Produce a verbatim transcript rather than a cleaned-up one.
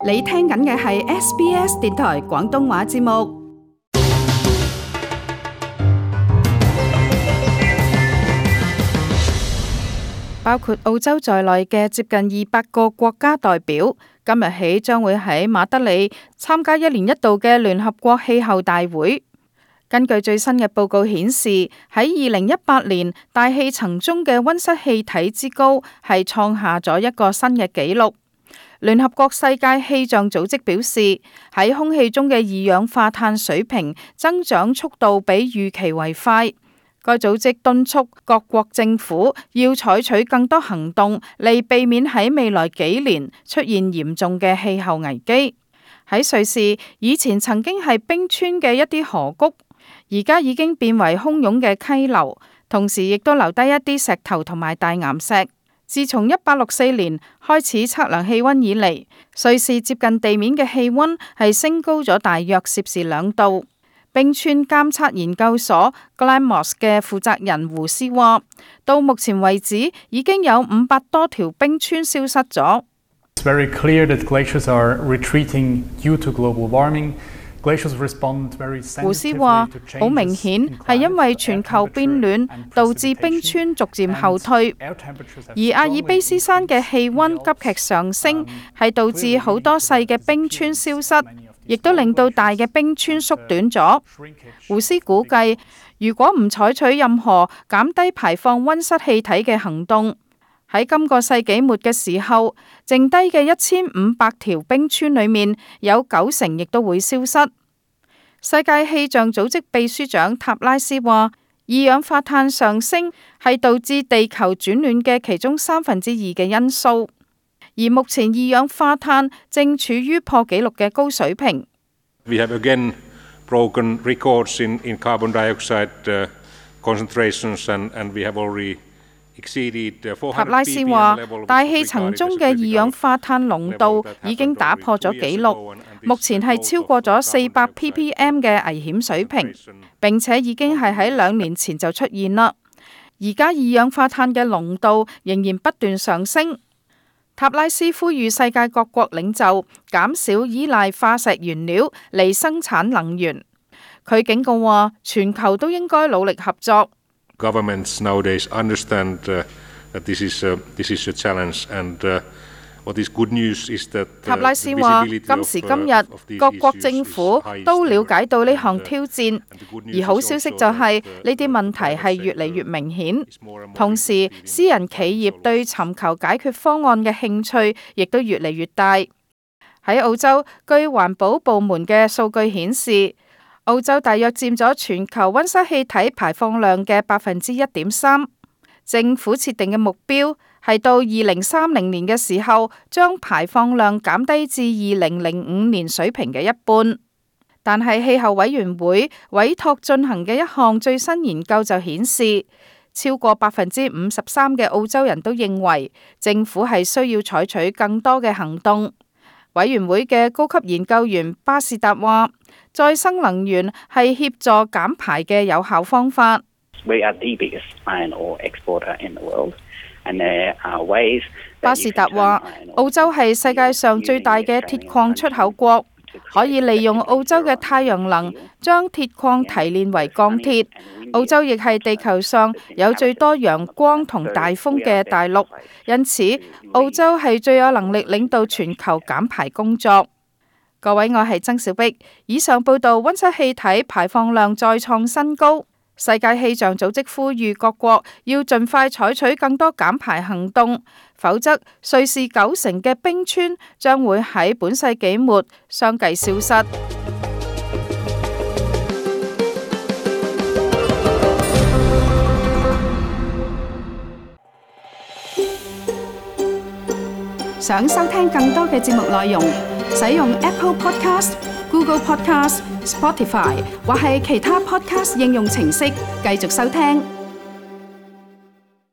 你聽緊嘅係 S B S 電台廣東話節目。包括澳洲在內嘅接近二百個國家代表，今日起將會喺馬德里參加一年一度嘅聯合國氣候大會。根據最新嘅報告顯示，喺二零一八年大氣層中嘅溫室氣體之高係創下咗一個新嘅紀錄。聯合國世界氣象組織表示，喺空氣中嘅二氧化碳水平增長速度比預期為快。該組織敦促各國政府要採取更多行動嚟避免喺未來幾年出現嚴重嘅氣候危機。喺瑞士，以前曾經係冰川嘅一啲河谷，而家已經變為洶湧嘅溪流，同時亦都留低一啲石頭同埋大岩石。自從一八六四年開始測量氣溫以嚟，瑞士接近地面嘅氣溫係升高咗大約攝氏兩度。冰川監測研究所 Glamos 嘅負責人胡斯話，到目前為止已經有五百多條冰川消失咗。It's very clear that glaciers are retreating due to global warming.胡斯話：好明顯係因為全球變暖導致冰川逐漸後退，而阿爾卑斯山嘅氣溫急劇上升係導致好多細嘅冰川消失，亦都令到大嘅冰川縮短咗。胡斯估計，如果唔採取任何減低排放溫室氣體嘅行動，喺今個世紀末嘅時候，剩低嘅一千五百條冰川裏面有九成亦都會消失。世界氣象組織秘書長塔拉斯話，二氧化碳上升係導致地球轉暖嘅其中三分之二嘅因素，而目前二氧化碳正處於破紀錄嘅高水平。We have again broken records in, in carbon dioxide uh, concentrations and, and we have already塔拉斯話，大氣層中嘅二氧化碳濃度已經打破咗紀錄，目前係超過咗四百 ppm 嘅危險水平，並且已經係喺兩年前就出現啦。而家二氧化碳嘅濃度仍然不斷上升。塔拉斯呼籲世界各國領袖減少依賴化石原料嚟生產能源。佢警告話，全球都應該努力合作。Governments nowadays understand uh, that this is a, this is a challenge, and uh, what is good news is that 塔拉斯話，今時今日各國政府都了解到呢項挑戰，而好消息就係呢啲問題係越嚟越明顯。同時，私人企業對尋求解決方案嘅興趣亦都越嚟越大。喺澳洲，據環保部門嘅數據顯示，澳洲大約佔咗全球溫室氣體排放量嘅百分之一點三。政府設定嘅目標係到二零三零年嘅時候，將排放量減低至二零零五年水平嘅一半。但係氣候委員會委託進行嘅一項最新研究就顯示，超過百分之五十三嘅澳洲人都認為政府係需要採取更多嘅行動。委員會嘅高級研究員巴士達話，再生能源係協助減排嘅有效方法。巴士達話，澳洲係世界上最大嘅鐵礦出口國，可以利用澳洲嘅太陽能將鐵礦提煉為鋼鐵。澳洲亦係地球上有最多陽光同大風嘅大陸，因此澳洲係最有能力領導全球減排工作。各位，我係曾小碧。以上報道，溫室氣體排放量再創新高。世界氣象組織呼籲各國要盡快採取更多減排行動，否則瑞士九成嘅冰川將會喺本世紀末相繼消失。想收聽更多嘅節目內容，使用 Apple Podcast、Google Podcast、Spotify 或係其他 Podcast 應用程式繼續收聽。